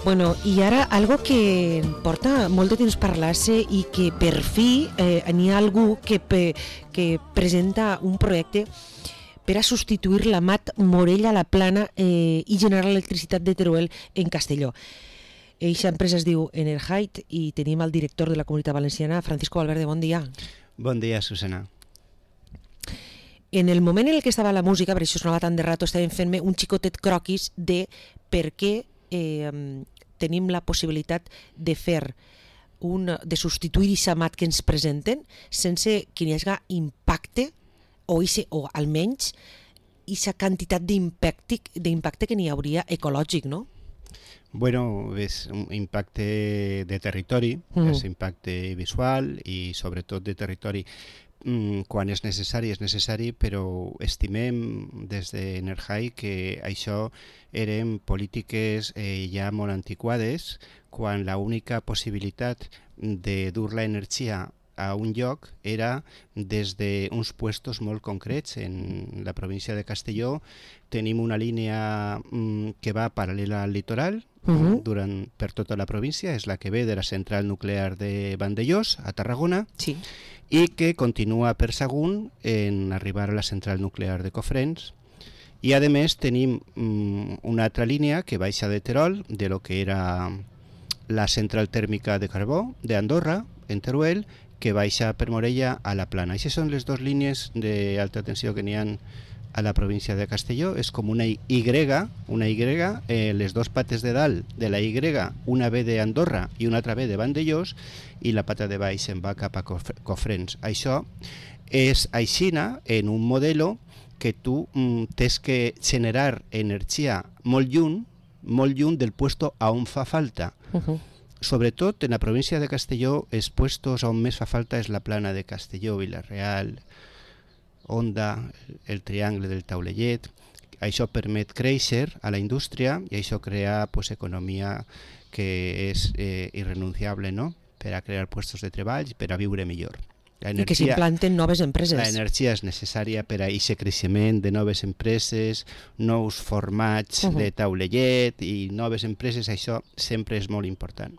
Bueno, i ara algo que porta molt de temps parlar-se i que per fi n'hi ha algú que presenta un projecte per a substituir la Mat Morella a la Plana i generar l'electricitat de Teruel en Castelló. Eixa empresa es diu Enerhite i tenim el director de la Comunitat Valenciana, Francisco Valverde. Bon dia. Bon dia, Susana. En el moment en el que estava la música, per això sonava tant de rato, estàvem fent-me un xicotet croquis de per què tenim la possibilitat de fer de substituir aquesta mat que ens presenten sense que hi hagi impacte o almenys aquesta quantitat d'impacte que n'hi hauria ecològic, no? Bueno, és un impacte de territori, és impacte visual i sobretot de territori. Quan és necessari, però estimem des d'Enerhite que això eren polítiques ja molt antiquades, quan l'única possibilitat de dur l'energia a un lloc era des d'uns puestos molt concrets. En la província de Castelló tenim una línia que va paral·lela al litoral per tota la província, és la que ve de la central nuclear de Vandellós, a Tarragona, sí, i que continua per Sagunt en arribar a la central nuclear de Cofrents. I a més tenim una altra línia que baixa de Terol, de lo que era la central tèrmica de carbó d'Andorra, en Teruel, que baixa per Morella a la Plana. Aquestes són les dues línies d'alta tensió que n'hi ha a la província de Castelló. És com una Y, les dues pates de dalt de la Y, una ve d'Andorra i una altra ve de Vandellós, i la pata de baix se'n va cap a Cofrents. Això és aixina en un modelo que tu tens que generar energia molt lluny del puesto on fa falta. Sobretot en la província de Castelló, els puestos on més fa falta és la Plana de Castelló, Vila-real, Onda, el Triangle del Taulellet. Això permet créixer a la indústria i això crea economia que és irrenunciable, no?, per a crear puestos de treball i per a viure millor. I que s'implanten noves empreses. L'energia és necessària per a aquest creixement de noves empreses, nous formats de taulellet i noves empreses. Això sempre és molt important.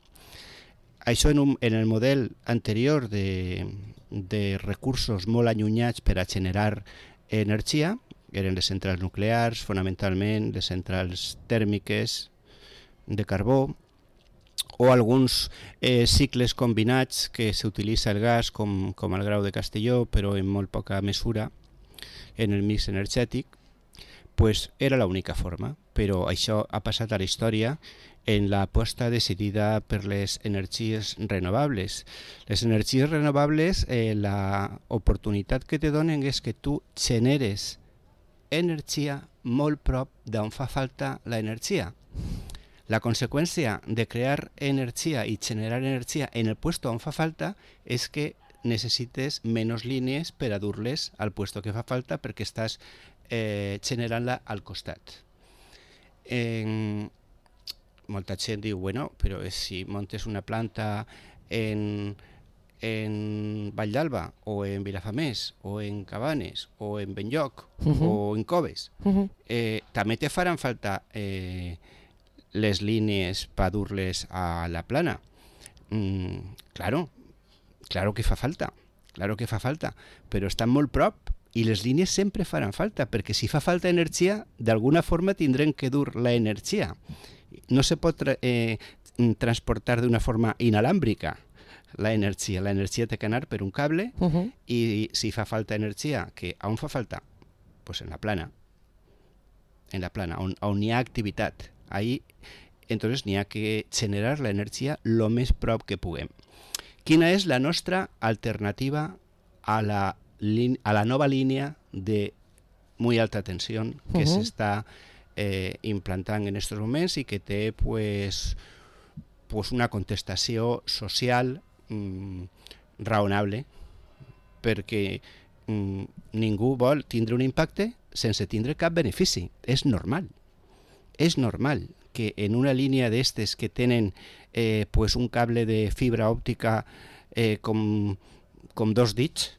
Això en el model anterior de recursos molt allunyats per a generar energia, eren les centrals nuclears, fonamentalment les centrals tèrmiques de carbó, o alguns cicles combinats que s'utilitza el gas, com al Grau de Castelló, però en molt poca mesura en el mix energètic, pues era l'única forma. Però això ha passat a la història en l'aposta decidida per les energies renovables. Les energies renovables, l'oportunitat que te donen és que tu generes energia molt prop d'on fa falta l'energia. La conseqüència de crear energia i generar energia en el puesto on fa falta és que necessites menys línies per a dur-les al puesto que fa falta perquè estàs generant-la al costat. Molta gent diu, bueno, però si montes una planta en Vall d'Alba o en Vilafamés o en Cabanes o en Benlloc o en Coves, també te faran falta les línies per dur-les a la Plana. Claro que fa falta, però estan molt prop i les línies sempre faran falta, perquè si fa falta energia, d'alguna forma tindrem que dur l'energia. No se pot transportar d'una forma inalàmbrica l'energia. L'energia té que anar per un cable i si fa falta energia, on fa falta? Pues en la Plana, on hi ha activitat. Ahí, entonces, n'hi ha que generar l'energia lo més prop que puguem. Quina és la nostra alternativa a la nova línia de muy alta tensió que s'està implantant en aquests moments i que té pues una contestació social raonable, perquè ningú vol tindre un impacte sense tindre cap benefici. És normal que en una línia d'estes que tenen un cable de fibra òptica com dos dits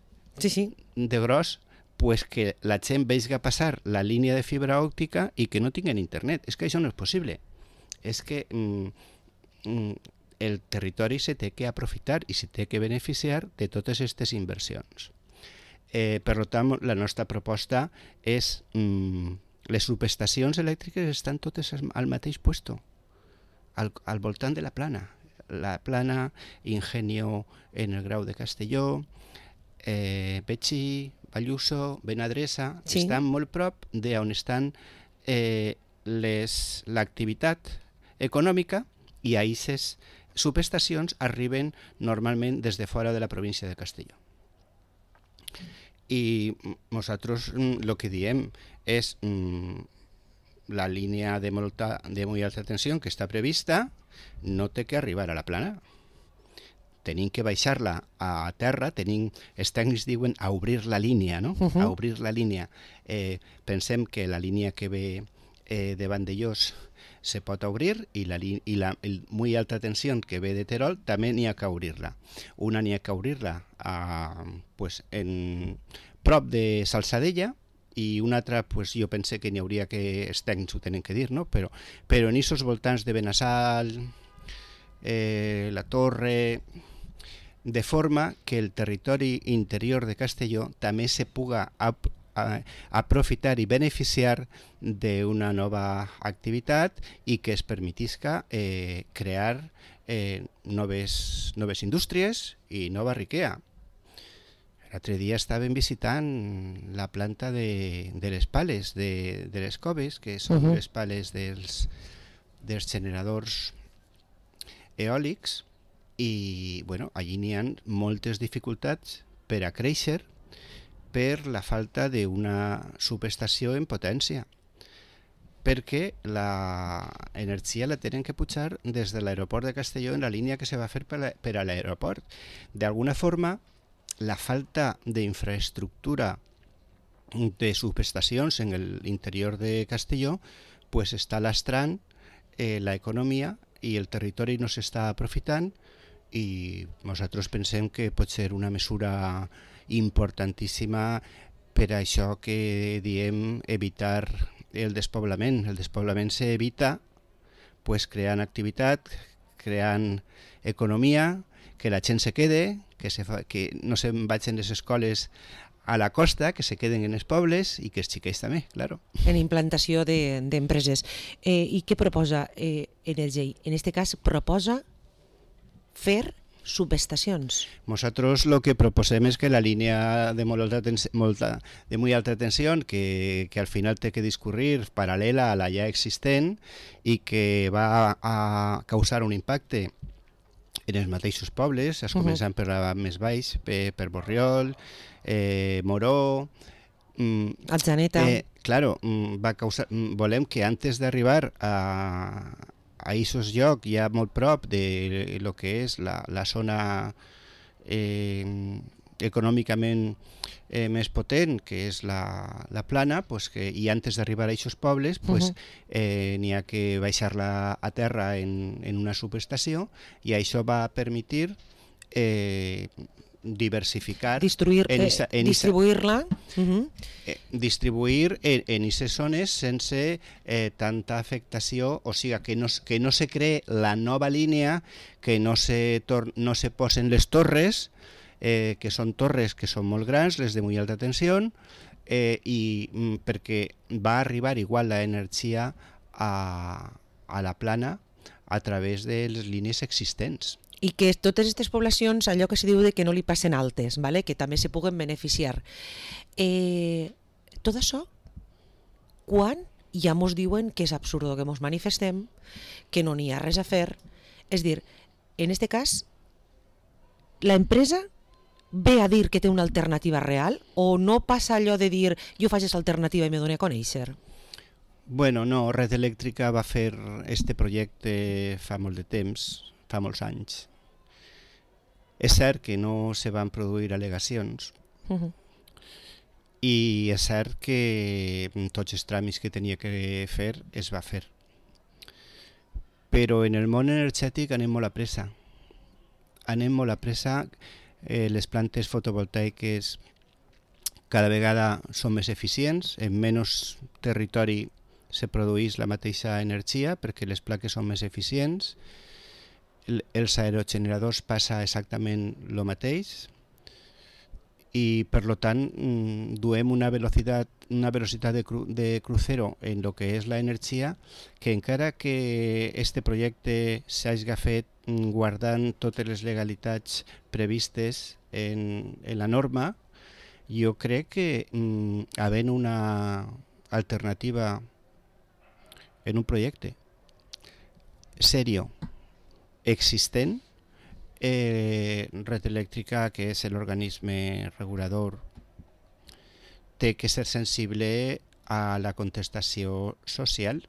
de gros, pues que la gent vegi passar la línia de fibra òptica i que no tinguen internet. És que això no és possible. És que el territori se té que aprofitar i se té que beneficiar de totes aquestes inversions. Per tant, la nostra proposta és les subestacions elèctriques estan totes al mateix puesto, al voltant de la Plana. La Plana, Ingenio en el Grau de Castelló, Betxí, Balluso, Benadresa, sí, estan molt prop d'on estan l'activitat econòmica, i a aquestes subestacions arriben normalment des de fora de la província de Castelló. I nosaltres el que diem és la línia de molt alta tensió que està prevista no té que arribar a la Plana. Tenim que baixar-la a terra, els tècnics diuen a obrir la línia, no? A obrir la línia. Pensem que la línia que ve de Vandellós se pot obrir i la molt alta tensió que ve de Terol també n'hi ha que obrir-la. Una n'hi ha que obrir-la en prop de Salsadella i una altra, jo pense que n'hi hauria que, els tècnics ho tenen que dir, no? Però en aquests voltants de Benassal, la Torre, de forma que el territori interior de Castelló també se puga aprofitar i beneficiar d'una nova activitat i que es permetisca crear noves indústries i nova riquea. L'altre dia estàvem visitant la planta de les pales, de les coves, que són les pales dels generadors eòlics, i allí n'hi ha moltes dificultats per a créixer per la falta d'una subestació en potència, perquè l'energia la tenen que pujar des de l'aeroport de Castelló en la línia que se va fer per a l'aeroport. D'alguna forma, la falta d'infraestructura de subestacions en l'interior de Castelló està lastrant l'economia i el territori no s'està aprofitant, i nosaltres pensem que pot ser una mesura importantíssima per això que diem evitar el despoblament. El despoblament s'evita creant activitat, creant economia, que la gent se quede, que no se'n vagin les escoles a la costa, que se queden en els pobles i que els xiquets també, claro. En implantació d'empreses. I què proposa Energei? En aquest cas proposa fer subestacions. Nosaltres el que proposem és que la línia de molt alta tensió, que al final té que discurrir paral·lela a la ja existent i que va a causar un impacte en els mateixos pobles, començant per la més baix, per Borriol, Moró, Atzeneta. Claro, volem que antes d'arribar a aquests llocs, ja molt prop de lo que és la zona econòmicament més potent, que és la Plana, i antes d'arribar a aquests pobles n'hi ha que baixar-la a terra en una subestació, i això va permetir diversificar, distribuir-la, distribuir en aquestes zones sense tanta afectació, o sigui que no se cree la nova línia, que no se posen les torres, que són torres que són molt grans, les de molt alta tensió, i perquè va arribar igual l'energia a la Plana a través de les línies existents. I que totes aquestes poblacions, allò que se diu de que no li passen altes, ¿vale? Que també se puguen beneficiar. Tot això, quan ja mos diuen que és absurdo que mos manifestem, que no n'hi ha res a fer, és dir, en aquest cas, l'empresa ve a dir que té una alternativa real, o no passa allò de dir jo faig aquesta alternativa i me dono a conèixer? Bueno, no, Red Eléctrica va fer este projecte fa molt de temps, fa molts anys. És cert que no se van produir al·legacions i és cert que tots els tràmits que tenia que fer es va fer. Però en el món energètic anem molt a pressa. Les plantes fotovoltaiques cada vegada són més eficients, en menys territori se produeix la mateixa energia perquè les plaques són més eficients. els aerogeneradors passa exactament el mateix, i per lo tant duem una velocitat de crucero en lo que és la energia, que encara que este projecte s'hagi fet guardant totes les legalitats previstes en la norma, jo crec que havent una alternativa en un projecte serio, existent, Red Eléctrica, que és l'organisme regulador, té que ser sensible a la contestació social,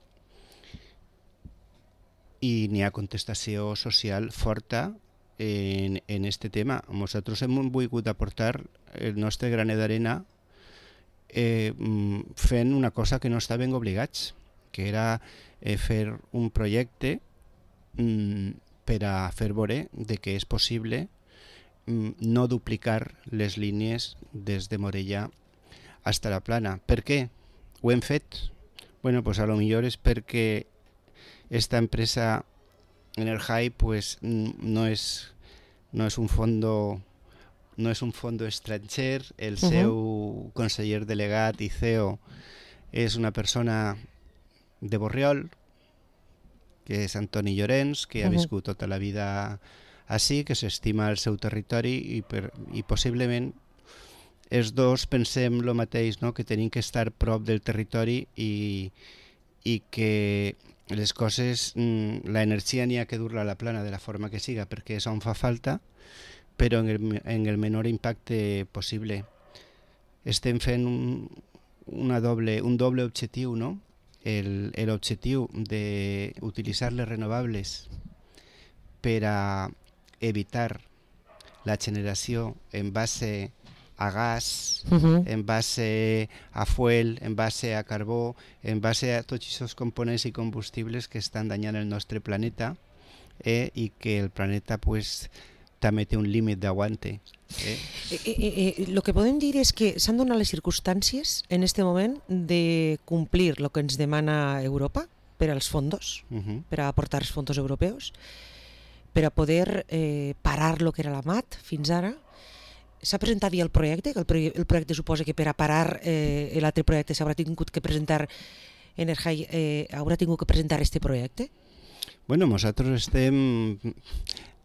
i n'hi ha contestació social forta en este tema. Nosaltres hem volgut aportar el nostre granet d'arena fent una cosa que no estaven obligats, que era fer un projecte per a fer veure que és possible no duplicar les línies des de Morella fins a la Plana. Per què ho hem fet? Bueno, pues a lo millor és perquè esta empresa Energy pues no es un fondo estranger. El seu conseller delegat i CEO és una persona de Borriol, que és Antoni Llorens, que ha viscut tota la vida així, que s'estima el seu territori, i possiblement els dos pensem el mateix, no? Que tenim que estar prop del territori i que les coses, la energia n'hi ha que dur-la a la Plana de la forma que siga, perquè és on fa falta, però en el menor impacte possible. Estem fent un doble objectiu, no? L'objectiu d'utilitzar les renovables per a evitar la generació en base a gas, en base a fuel, en base a carbó, en base a tots aquests components i combustibles que estan danyant el nostre planeta, i que el planeta pues, també té un límit d'aguante. Lo que podem dir és que s'han donat les circumstàncies en este moment de complir el que ens demana Europa per als fondos, per a aportar els fondos europeus, per a poder parar el que era la MAT fins ara. S'ha presentat ja el projecte, que el projecte suposa que per a parar l'altre projecte s'haurà tingut que presentar Energy, haurà tingut que presentar este projecte? Bueno, nosaltres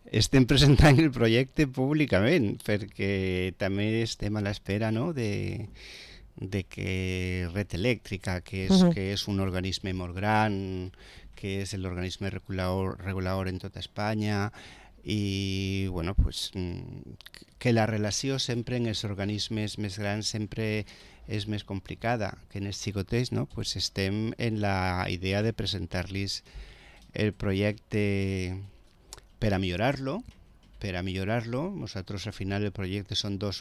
estem presentant el projecte públicament, perquè també estem a l'espera, no?, de que Red Eléctrica, que és un organisme molt gran, que és l'organisme regulador en tota Espanya, i bueno, pues, que la relació sempre en els organismes més grans sempre és més complicada que en els xicotets, no? Pues estem en la idea de presentar-los el projecte per a millorar-lo. Nosaltres al final el projecte són dos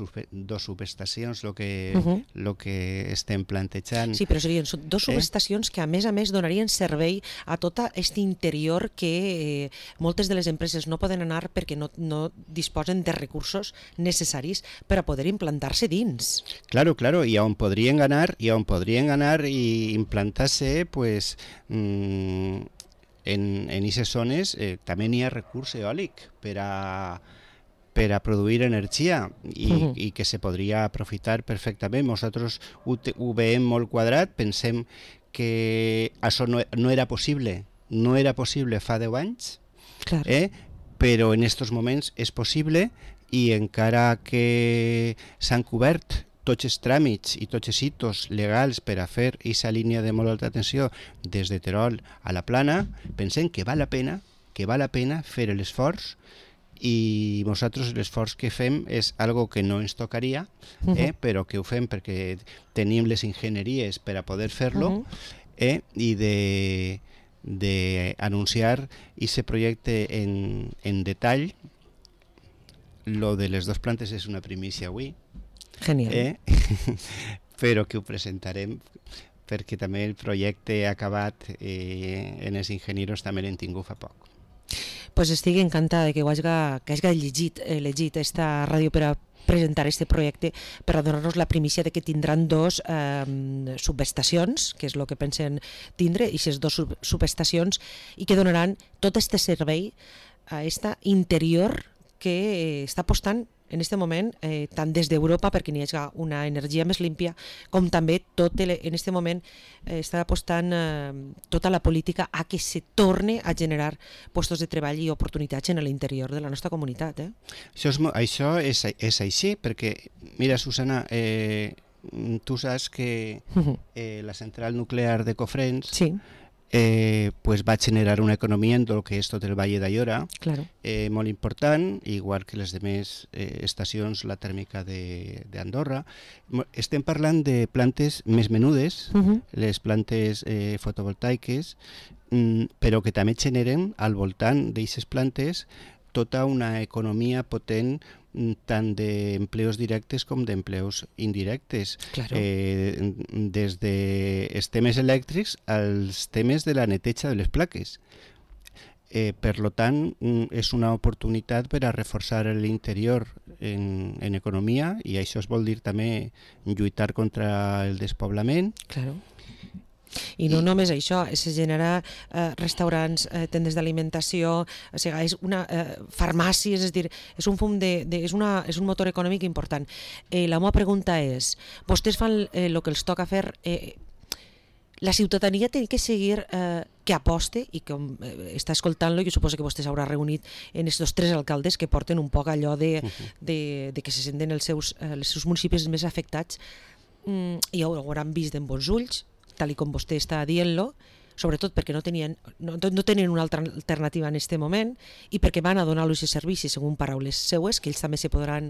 subestacions lo que estem plantejant. Sí, però serien dos subestacions que a més donarien servei a tot aquest interior que moltes de les empreses no poden anar perquè no disposen de recursos necessaris per a poder implantar-se dins. Claro, i on podrien anar i implantar-se, pues, en aquestes zones també n'hi ha recurs eòlic per a produir energia i que se podria aprofitar perfectament. Nosaltres ho veiem molt quadrat, pensem que això no era possible fa 10 anys, però en aquests moments és possible, i encara que s'han cobert tots els tràmits i tots els hitos legals per a fer aquesta línia de molt alta tensió des de Terol a la Plana, pensem que val la pena fer l'esforç, i nosaltres l'esforç que fem és algo que no ens tocaria, però que ho fem perquè tenim les enginyeries per a poder fer-lo, i d'anunciar aquest projecte en detall. Lo de les dues plantes és una primícia avui. Genial. Però que ho presentarem perquè també el projecte acabat en els enginyers també l'hem tingut fa poc. Pues estic encantada que hagi llegit esta ràdio per a presentar aquest projecte, per a donar-nos la primícia de que tindran dos subestacions, que és el que pensen tindre, i aquestes dues subestacions, i que donaran tot aquest servei a esta interior que està apostant en aquest moment, tant des d'Europa perquè n'hi hagi una energia més límpia, com també en aquest moment està apostant tota la política a que se torne a generar llocs de treball i oportunitats en l'interior de la nostra comunitat. Això és així, perquè, mira, Susana, tu saps que la central nuclear de Cofrents sí. Pues va generar una economia en el que és tot el Valle d'Aiora, claro. Molt important, igual que les demés estacions, la tèrmica d'Andorra. Estem parlant de plantes més menudes, les plantes fotovoltaiques, però que també generen al voltant d'aquestes plantes tota una economia potent tant d'empleos directes com d'empleos indirectes. Claro. Des dels temes elèctrics als temes de la neteja de les plaques. Per tant, és una oportunitat per a reforçar l'interior en economia, i això es vol dir també lluitar contra el despoblament. Claro. I no només això, es genera restaurants, tendes d'alimentació, o sigui, és farmàcies, és dir, és un fum és un motor econòmic important. La meva pregunta és, vostès fan el que els toca fer, la ciutadania té que seguir que aposte, i com està escoltant-lo, jo suposo que vostè s'haurà reunit en aquests 3 alcaldes que porten un poc allò de que se senten els seus municipis més afectats, i ho hauran vist en bons ulls, tal com vostè està dient-lo, sobretot perquè no tenien una altra alternativa en aquest moment, i perquè van a donar-los els servicis, segons paraules seues, que ells també se podran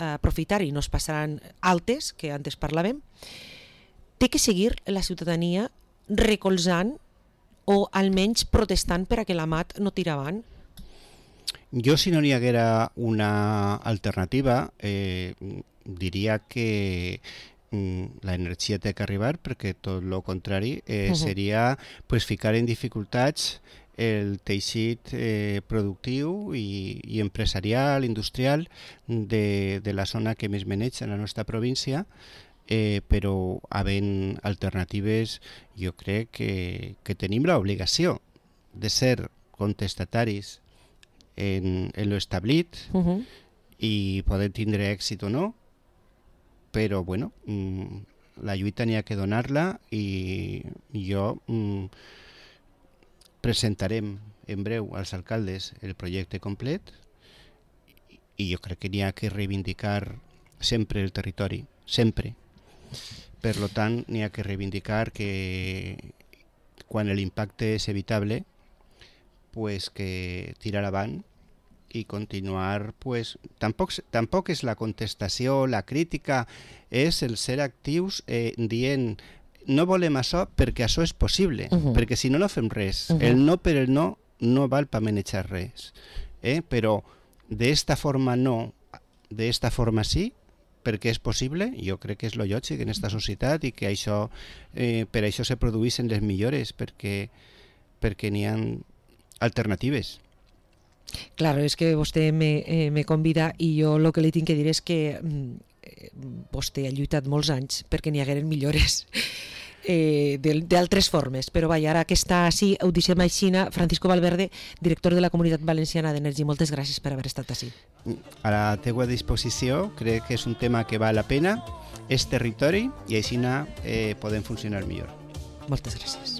aprofitar i no es passaran altes, que antes parlàvem. Té que seguir la ciutadania recolzant o almenys protestant per a que la MAT no tira avant? Jo, si no n'hi haguera una alternativa, diria que la energia té que arribar, perquè tot el contrari seria ficar en dificultats el teixit productiu i empresarial, industrial de la zona que més maneja en la nostra província, però havent alternatives jo crec que tenim l'obligació de ser contestataris en l'establit i poder tindre èxit o no, però bueno, la lluita n'hi ha que donar-la, i jo presentarem en breu als alcaldes el projecte complet, i jo crec que n'hi ha que reivindicar sempre el territori, sempre. Per tant, n'hi ha que reivindicar que quan l'impacte és evitable, pues que tirar avant i continuar, pues, tampoc és la contestació, la crítica, és el ser actius dient no volem això perquè això és possible, perquè si no, no fem res. El no per el no no val per manejar res, però d'esta forma no, d'esta forma sí, perquè és possible, jo crec que és lo lògic en aquesta societat, i que això, per això se produeixen les millores, perquè n'hi ha alternatives. Claro, és que vostè me convida, i jo el que li tinc que dir és que vostè ha lluitat molts anys perquè n'hi hagueren millores d'altres formes, però vaja, ara que està així, ho deixem així. Francisco Valverde, director de la Comunitat Valenciana d'Energia, moltes gràcies per haver estat així. A la teua disposició, crec que és un tema que val la pena, és territori, i així podem funcionar millor. Moltes gràcies.